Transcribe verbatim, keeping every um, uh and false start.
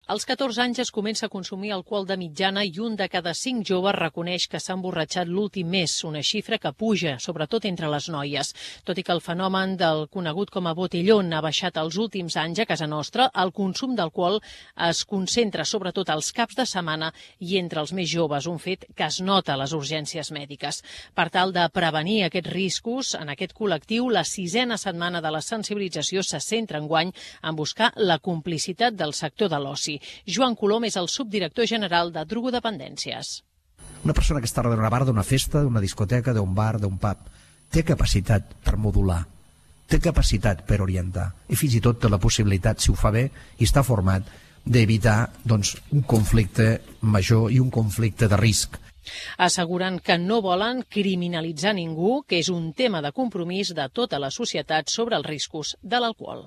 Als catorze anys es comença a consumir alcohol de mitjana i un de cada cinc joves reconeix que s'ha emborratxat l'últim mes, una xifra que puja, sobretot entre les noies. Tot i que el fenomen del conegut com a botellón ha baixat els últims anys a casa nostra, el consum d'alcohol es concentra sobretot als caps de setmana i entre els més joves, un fet que es nota a les urgències mèdiques. Per tal de prevenir aquests riscos, en aquest col·lectiu, la sisena setmana de la sensibilització se centra enguany en buscar la complicitat del sector de l'oci. Joan Colom és el subdirector general de drogodependències. Una persona que està darrere d'una bar, d'una festa, d'una discoteca, d'un bar, d'un pub, té capacitat per modular, té capacitat per orientar i fins i tot té la possibilitat, si ho fa bé i està format, d'evitar doncs, un conflicte major i un conflicte de risc. Asseguren que no volen criminalitzar ningú, que és un tema de compromís de tota la societat sobre els riscos de l'alcohol.